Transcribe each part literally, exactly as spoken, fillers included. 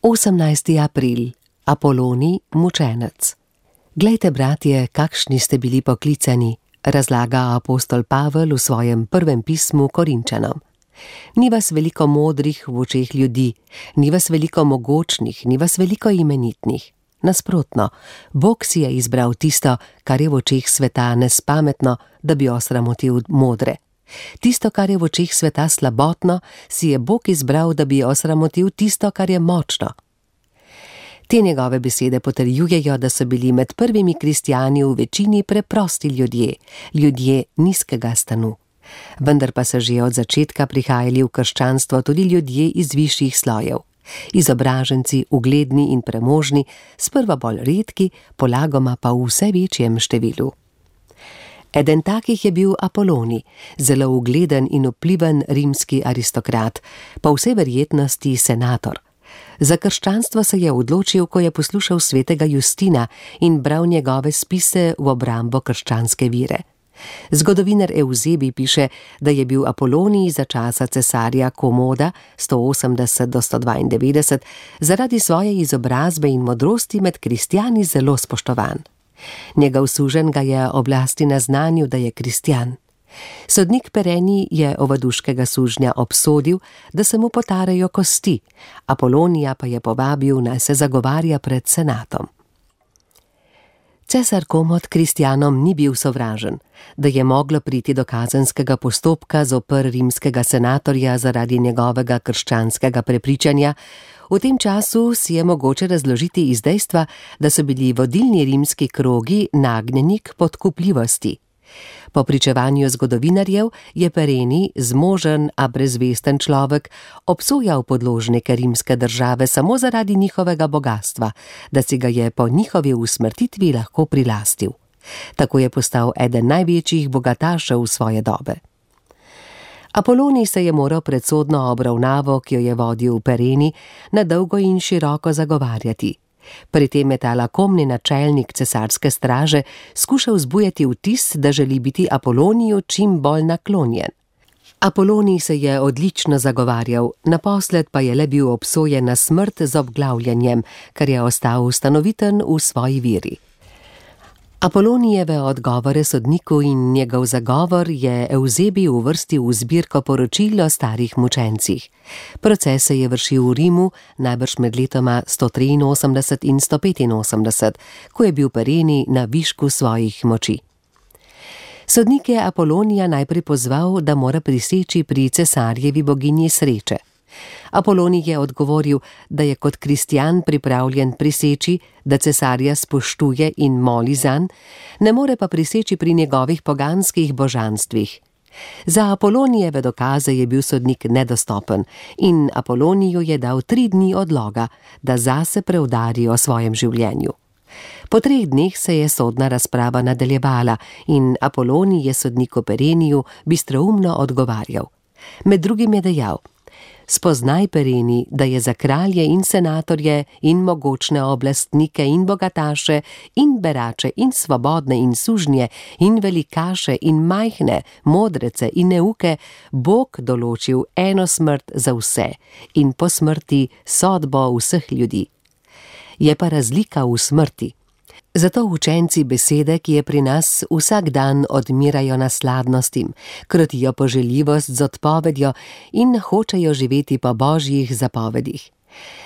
osemnajsti april. Apolonij, mučenec. Glejte, bratje, kakšni ste bili poklicani, razlaga apostol Pavel v svojem prvem pismu Korinčanom. Ni vas veliko modrih v očeh ljudi, ni vas veliko mogočnih, ni vas veliko imenitnih. Nasprotno, Bog si je izbral tisto, kar je v očeh sveta nespametno, da bi osramotil modre. Tisto, kar je v očeh sveta slabotno, si je Bog izbral, da bi osramotil tisto, kar je močno. Te njegove besede potrjujejo, da so bili med prvimi kristjani v večini preprosti ljudje, ljudje nizkega stanu. Vendar pa so že od začetka prihajali v krščanstvo tudi ljudje iz višjih slojev. Izobraženci, ugledni in premožni, sprva bolj redki, polagoma pa v vse večjem številu. Eden takih je bil Apolonij, zelo ugleden in vpliven rimski aristokrat, po vsej verjetnosti senator. Za krščanstvo se je odločil, ko je poslušal svetega Justina in bral njegove spise v obrambo krščanske vire. Zgodovinar Evzebij piše, da je bil Apolonij za časa cesarja Komoda sto osemdeset do sto dvaindevetdeset zaradi svoje izobrazbe in modrosti med kristjani zelo spoštovan. Njegov suženj ga je oblasti naznanil, da je kristjan. Sodnik Perenij je ovaduškega sužnja obsodil, da se mu potarejo kosti, Apolonija pa je povabil, naj se zagovarja pred senatom. Cesar Komod kristjanom ni bil sovražen, da je moglo priti do kazenskega postopka zoper rimskega senatorja zaradi njegovega krščanskega prepričanja. V tem času si je mogoče razložiti iz dejstva, da so bili vodilni rimski krogi nagnjeni k podkupljivosti. Po pričevanju zgodovinarjev je Perenij, zmožen, a brezvesten človek, obsojal podložnike rimske države samo zaradi njihovega bogastva, da si ga je po njihovi usmrtitvi lahko prilastil. Tako je postal eden največjih bogatašev svoje dobe. Apolonij se je moral pred sodno obravnavo, ki jo je vodil Perenij, na dolgo in široko zagovarjati. Pri tem je ta lakomni načelnik cesarske straže skušal vzbujati vtis, da želi biti Apoloniju čim bolj naklonjen. Apolonij se je odlično zagovarjal, naposled pa je le bil obsojen na smrt z obglavljanjem, kar je ostal ustanoviten v svoji viri. Apolonijeve odgovore sodniku in njegov zagovor je Evzebij uvrstil v zbirko poročil o starih mučencih. Proces se je vršil v Rimu, najbrž med letoma sto triinosemdeset in sto petinosemdeset, ko je bil Perenij na višku svojih moči. Sodnik je Apolonija najprej pozval, da mora priseči pri cesarjevi boginji sreče. Apolonij je odgovoril, da je kot kristjan pripravljen priseči, da cesarja spoštuje in moli zanj, ne more pa priseči pri njegovih poganskih božanstvih. Za Apolonijeve dokaze je bil sodnik nedostopen in Apoloniju je dal tri dni odloga, da zase preudari o svojem življenju. Po treh dneh se je sodna razprava nadaljevala in Apolonij je sodniku Pereniju bistroumno odgovarjal. Med drugim je dejal: spoznaj, Perenij, da je za kralje in senatorje in mogočne oblastnike in bogataše in berače in svobodne in sužnje in velikaše in majhne, modrece in neuke Bog določil eno smrt za vse in po smrti sodbo vseh ljudi. Je pa razlika v smrti. Zato učenci besede, ki je pri nas, vsak dan odmirajo nasladnostim, krotijo poželjivost z odpovedjo in hočejo živeti po božjih zapovedih.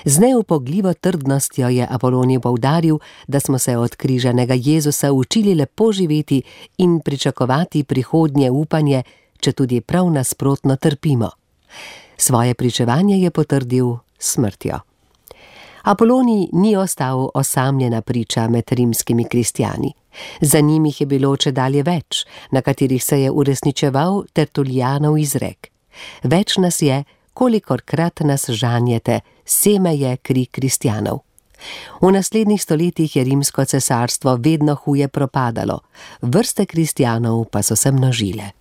Z neupogljivo trdnostjo je Apolonij poudaril, da smo se od križanega Jezusa učili lepo živeti in pričakovati prihodnje upanje, če tudi prav nasprotno trpimo. Svoje pričevanje je potrdil s smrtjo. Apolonij ni ostal osamljena priča med rimskimi kristjani. Za njim jih je bilo čedalje več, na katerih se je uresničeval Tertulijanov izrek. Več nas je, kolikorkrat nas žanjete, seme je kri kristjanov. V naslednjih stoletjih je rimsko cesarstvo vedno huje propadalo, vrste kristjanov pa so se množile.